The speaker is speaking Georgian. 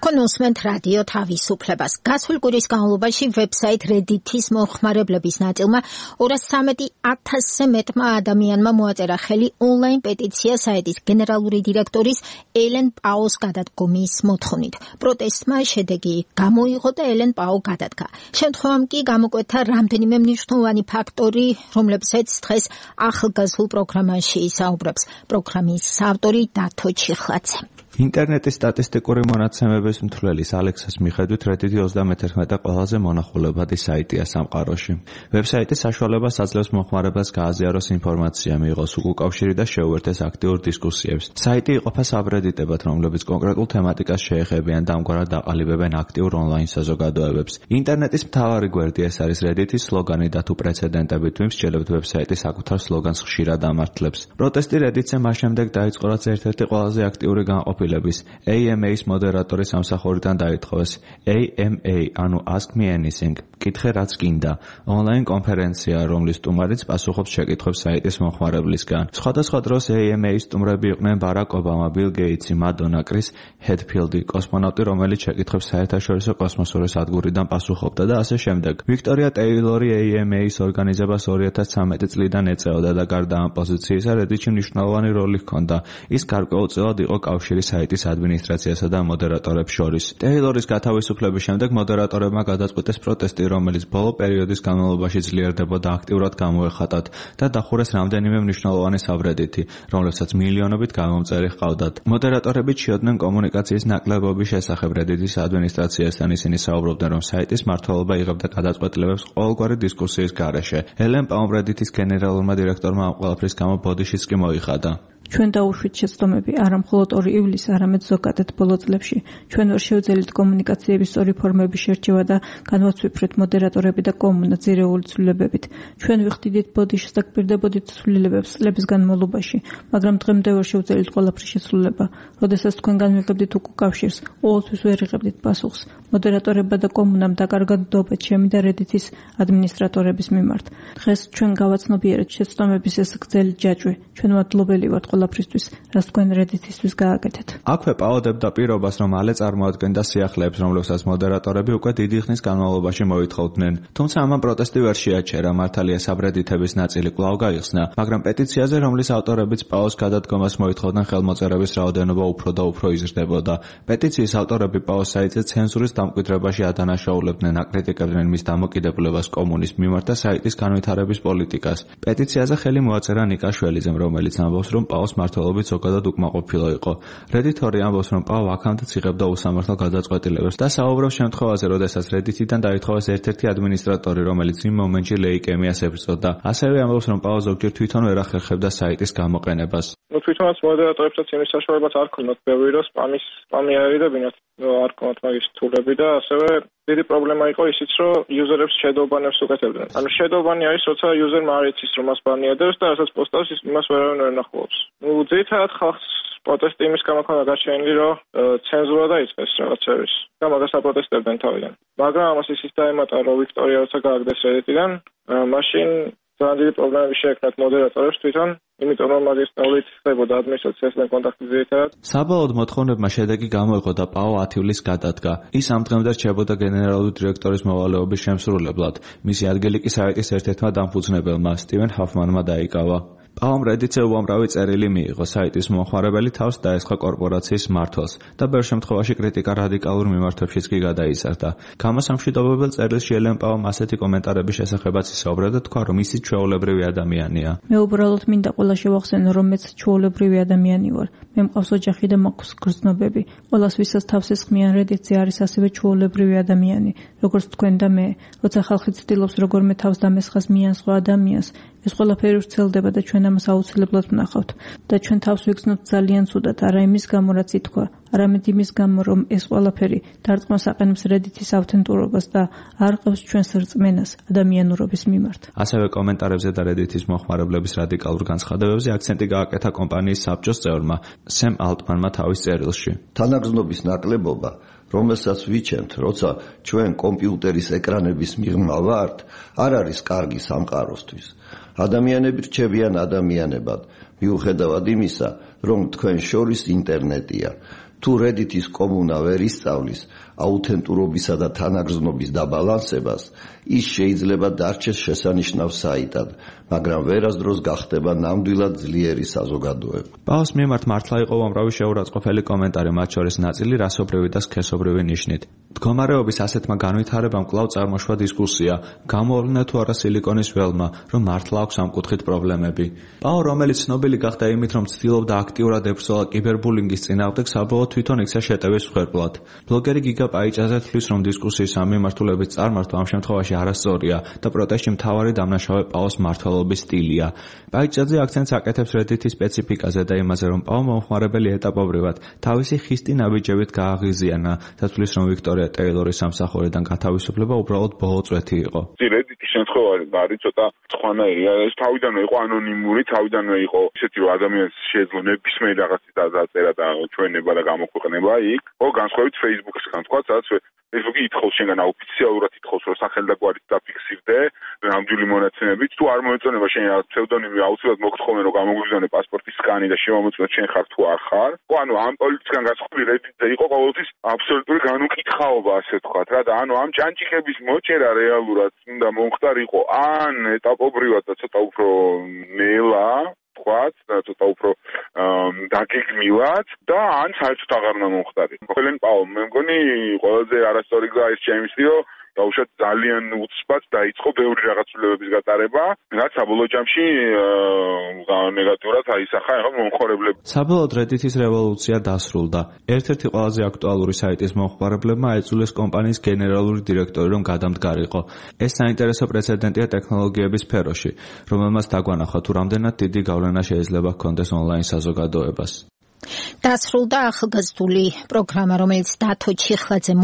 თქვენ უსმენთ რადიო თავისუფლებას. გასულ კვირის განმავლობაში ვებსაიტ Reddit-ის მომხმარებლების ნაწილმა 213,000-ზე მეტმა ადამიანმა მოაწერა ხელი ონლაინ პეტიცია საიტის გენერალური დირექტორის ელენ პაუს გადადგომის მოთხოვნით. პროტესტმა შედეგი გამოიღო და ელენ პაუ გადადგა. შემდგომ კი გამოკვეთა რამდენიმე მნიშვნელოვანი ფაქტორი, რომლებზეც დღეს ახალგაზრდულ პროგრამაში ისაუბრებს პროგრამის ავტორი დათო ჩიხლაძე. ინტერნეტის სტატისტიკური მონაცემების მთლელის ალექსას მიხედვით Reddit-ი 31 ყველაზე მონახულებადი საიტია სამყაროში. ვებსაიტის საშუალებას აძლევს მომხმარებელს გააზიაროს ინფორმაცია, მიიღოს უკავშირი და შეუერთდეს აქტიურ დისკუსიებს. საიტი იყოფა საბრედიტებად, რომლებიც კონკრეტულ თემატიკას შეეხებიან და ამგვარად აყალიბებენ აქტიურ ონლაინ საზოგადოებებს. ინტერნეტის მთავარი გვერდი ეს არის Reddit-ის სლოგანი და თუ პრეცედენტებით ვიმსჯელებთ, ვებსაიტი საკუთარ სლოგანს ხშირად ამართლებს. პროტესტი Reddit-ზე მას შემდეგ დაიწყო, რაც ერთ-ერთი ყველაზე აქტიური განყოფილების AMA-ის მოდერატორი სამსახურიდან დაითხოვეს. AMA, ანუ Ask Me Anything, კითხე რაც გინდა, ონლაინ კონფერენცია, რომლის სტუმარიც პასუხობს შეკითხვებს საიტის მომხმარებლისგან. სხვადასხვა დროს AMA-ის სტუმრები იყვნენ ბარაკ ობამა, ბილ გეიტსი, მადონა, კრის ჰედფილდი, კოსმონავტი, რომელიც შეკითხვებს საერთაშორისო კოსმოსური სადგურიდან პასუხობდა და ასე შემდეგ. ვიქტორია ტეილორი AMA-ის ორგანიზებას 2013 წლიდან ეწეოდა და გარდა ამ პოზიციისა Reddit-ში მნიშვნელოვანი როლი ჰქონდა. ის გარკვეულწილად იყო კავშირი საიტის ადმინისტრაციასა და მოდერატორებს შორის. ტეილორის გათავისუფლების შემდეგ მოდერატორებმა გადაწყვეტეს პროტესტი, რომელიც ბოლო პერიოდის განმავლობაში ძლიერდებოდა, აქტიურად გამოეხატათ და დახურეს რამდენიმე მნიშვნელოვანი საბრედიტი, რომლებსაც მილიონობით გამომწერი ჰყავდათ. მოდერატორები ჩიოდნენ კომუნიკაციის ნაკლებობის შესახებ Reddit-ის ადმინისტრაციასთან. ისინი საუბრობდნენ, რომ საიტის მმართველობა იღებდა გადაწყვეტილებებს ყოველგვარი დისკუსიის გარეშე. ელენ პაუმ Reddit-ის გენერალურმა დირექტორმა ამ ყველაფრის გამო ბოდიშიც კი მოიხადა. ჩვენ დაუშვით შეცდომები არა მხოლოდ 2 ივლისს, არამედ ზოგადად ბოლო წლებში. ჩვენ ვერ შევძელით კომუნიკაციების სწორი ფორმების შერჩევა და განვაცვიფრეთ მოდერატორები და კომუნა ძირეული ცვლილებებით. ჩვენ ვიხდიდით ბოდიშს და გვპირდებოდით ცვლილებებს წლების განმავლობაში, მაგრამ დღემდე ვერ შევძელით ყველაფრის შესრულება. როდესაც თქვენ განვიღებდით უკავშირს, ყოველთვის ვერ იღებდით პასუხს. მოდერატორებმა და კომუნამ დაკარგა ნდობა ჩემი და Reddit-ის ადმინისტრატორების მიმართ. დღეს ჩვენ გავაცნობიერეთ შეცდომების ეს გრძელი ჯაჭვი. ჩვენ მადლობელი ვართ ყველაფრისთვის, რაც თქვენ Reddit-ისთვის გააკეთეთ. აქვე პაოდებდა პირობას, რომ მალე წარმოადგენდა სიახლეებს, რომლებსაც მოდერატორები უკვე დიდი ხნის განმავლობაში მოითხოვდნენ. თუმცა ამან პროტესტი ვერ შეაჩერა, მართალია საბრედიტების ნაწილი კვლავ გაიხსნა, მაგრამ პეტიციაზე, რომლის ავტორებიც პაოს გადადგომას მოითხოვდნენ, ხელმოწერების რაოდენობა უფრო და უფრო იზრდებოდა. პეტიციის ავტორები პაოს საიტზე ცენზურის დამკვიდრებაში ადანაშაულებდნენ, აკრიტიკებდნენ მის დამოკიდებულებას კომუნის მიმართ და საიტის განვითარების პოლიტიკას. პეტიციაზე ხელი მოაწერა ნიკა შველიძემ, რომელიც ამბობს, რომ პაოს მმართველობით ზოგადად უკმაყოფილო იყო. Reddit-ორი ამბობს, რომ პაო აქამდეც იღებდა უსამართლო გადაწყვეტილებებს და საუბრობს შემთხვევაზე, როდესაც Reddit-იდან დაითხოვეს ერთ-ერთი ადმინისტრატორი, რომელიც იმ მომენტში ლეიკემიას ებრძოდა. ასევე ამბობს, რომ პაო ზოგჯერ თვითონ ვერ ახერხებდა საიტის გამოყენებას. თვითონაც მოდერატორებსაც იმის საშუალებაც არ ქონდათ ბევრი რომ სპამი აერიდებინათ, არ ქონდათ მაგის თულები და ასევე დიდი პრობლემა იყო ისიც, რომ იუზერებს შედოუბანებს უკეთებდნენ. ანუ შედოუბანი არის, როცა იუზერმა არ იცის, რომ მას ბანიადებს და რასაც პოსტავს, იმას ვერავინ ვერ ნახულობს. ძირითადად ხალხს პროტესტი იმის გამო ქონდა გაჩენილი, რომ ცენზურა დაიწყეს რაღაცების და მაგას აპროტესტებდნენ თავიდან. მაგრამ ამას ისიც დაემატა, რომ ვიქტორია როცა გააგდეს Reddit-იდან, მაშინ ძალიან დიდი პრობლემები შეექმნათ მოდერატორებს თვითონ, იმიტომ რომ მაგის ნავლით ხდებოდა ადმინისტრაციასთან კონტაქტი ძირითადად. საბოლოოდ მოთხოვნებმა შედეგი გამოიღო და პაო 10 ივლისს გადადგა. ის ამ დღემდე რჩებოდა გენერალური დირექტორის მოვალეობის შემსრულებლად. მისი ადგილი კი საიტის ერთ-ერთმა დამფუძნებელმა სტივენ ჰოფმანმა დაიკავა. პაომ Reddit-ზე უამრავი წერილი მიიღო, საიტის მომხმარებელი თავს დაესხა კორპორაციის მმართველს და ბევრ შემთხვევაში კრიტიკა რადიკალურ მიმართვებშიც კი გადაიზარდა. გამოსამშვიდობებელ წერილში ელენ პაომ ასეთი კომენტარების შესახებაც ისაუბრა და თქვა, რომ ისიც ჩვეულებრივი ადამიანია. მე უბრალოდ მინდა ყველა შევახსენო, რომ მეც ჩვეულებრივი ადამიანი ვარ. მე მყავს ოჯახი და მაქვს გრძნობები. ყველას ვისაც თავს ესხმიან Reddit-ზე არის ასევე ჩვეულებრივი ადამიანი, როგორც თქვენ და მე. როცა ხალხი ცდილობს როგორმე თავს დამესხას მიან სხვა ადამიანს, ეს ყველაფერი ვრცელდება და ჩვენ ამას აუცილებლად ვნახავთ და ჩვენ თავს ვიგრძნობთ ძალიან ცუდად, არა იმის გამო, რაც ითქვა, არამედ იმის გამო, რომ ეს ყველაფერი დარწმუნებას აყენებს Reddit-ის ავთენტურობას და არ ყავს ჩვენს რწმენას ადამიანურობის მიმართ. ასევე კომენტარებზე და Reddit-ის მომხმარებლების რადიკალურ განცხადებებზე აქცენტი გააკეთა კომპანიის საბჭოს წევრმა სემ ალტმანმა თავის წერილში. თანაგრძნობის ნაკლებობა, რომელსაც ვიჩენთ, როცა ჩვენ კომპიუტერის ეკრანების მიღმა ვართ, არ არის კარგი სამყაროსთვის. ადამიანები რჩებიან ადამიანებად, მიუხედავად იმისა, რომ თქვენ შორის ინტერნეტია. თუ Reddit-ის კომუნა ვერ ისწავლის აუთენტურობისა და თანაგრძნობის დაბალანსებას, ის შეიძლება დარჩეს შესანიშნავ საიტად, მაგრამ ვერასდროს გახდება ნამდვილად ძლიერი საზოგადოება. პაოს მიმართ მართლა იყო უამრავი შეურაცხყოფელი კომენტარი, მათ შორის ნაწილი რასობრივი და სქესობრივი ნიშნით. მდგომარეობის ასეთმა განვითარებამ კვლავ წარმოშვა დისკუსია, გამოავლინდა თუ არა სილიკონის ველმა, რომ მართლა აქვს ამ კუთხით პრობლემები. პაო, რომელიც ცნობილი გახდა იმით, რომ ცდილობდა აქტიურად ებრძოლა კიბერბულინგის წინააღმდეგ, საბოლოოდ თვითონ იქცა შეტევის მსხვერპლად. ბლოგერი გიგა პაიჭაძე თვლის, რომ დისკუსიის ამ მიმართულებით წარმართვა ამ შემთხვევაში არასწორია და პროტესტში მთავარი დამნაშავე პაოს მმართველობის სტილია. პაიჭაძე აქცენტს აკეთებს Reddit-ის სპეციფიკაზე და იმაზე, რომ პაო მომხმარებელი ეტაპობრივად თავისი ხისტი ნაბიჯებით გააღიზიანა და თვლის, რომ ვიქტორია ტეილორის სამსახურიდან გათავისუფლება უბრალოდ ბოლო წვეთი იყო. Reddit-ის შემთხვევა არის ცოტა სხვანაირი. ეს თავიდანვე იყო ანონიმური, თავიდანვე იყო ისეთი, რომ ადამიანს შეეძლო ნებისმიერ რაღაცის დაწერა და ჩვენება და გამოქვეყნება იქ. განსხვავებით Facebook-ისგან, თქვა, სადაც Facebook-ი ითხოვს შენგან აოფიციალურად ითხოვს, რომ სახელმწიფოებით დაფიქსირდე ნამდვილი მონაცემებით, თუ არ მოეწონება შენ რაღაც ფსევდონიმი, აუცილებლად მოგთხოვენ, რომ გამოგვიგზავნე პასპორტის სკანი და შემომეწმოთ შენ ხარ თუ არ ხარ. ამ პოლიტიკიდან განსხვავებით Reddit-ზე იყო ყოველთვის აბსოლუტური განუკითხაობა, ასე ვთქვათ რა და ამ ჭანჭიქების მოჭერა რეალურად უნდა მომხდარიყო ან ეტაპობრივად და ცოტა უფრო ნელა თქვათ და ცოტა უფრო დაგეგმილად და ან საერთოდ აღარ უნდა მომხდარიყო. ყველენ პაო, მე მგონი ყველაზე არასწორი გზა ის ჩემისიო დაუშვათ ძალიან უცბად დაიწყო ბევრი რაღაცულებების გატარება, რაც საბოლოო ჯამში ნეგატიურად აისახა მომხმარებლებს. საბოლოოდ Reddit-ის რევოლუცია დასრულდა. ერთ-ერთი ყველაზე აქტუალური საიტის მომხმარებლებმა აიძულეს კომპანიის გენერალური დირექტორი რომ გადამდგარიყო. ეს საინტერესო პრეცედენტია ტექნოლოგიების სფეროში, რომელმაც დაგვანახა თუ რამდენად დიდი გავლენა შეიძლება ჰქონდეს ონლაინ საზოგადოებას. დასრულდა ახალგაზრდული პროგრამა, რომელიც დათო ჩიხლაძე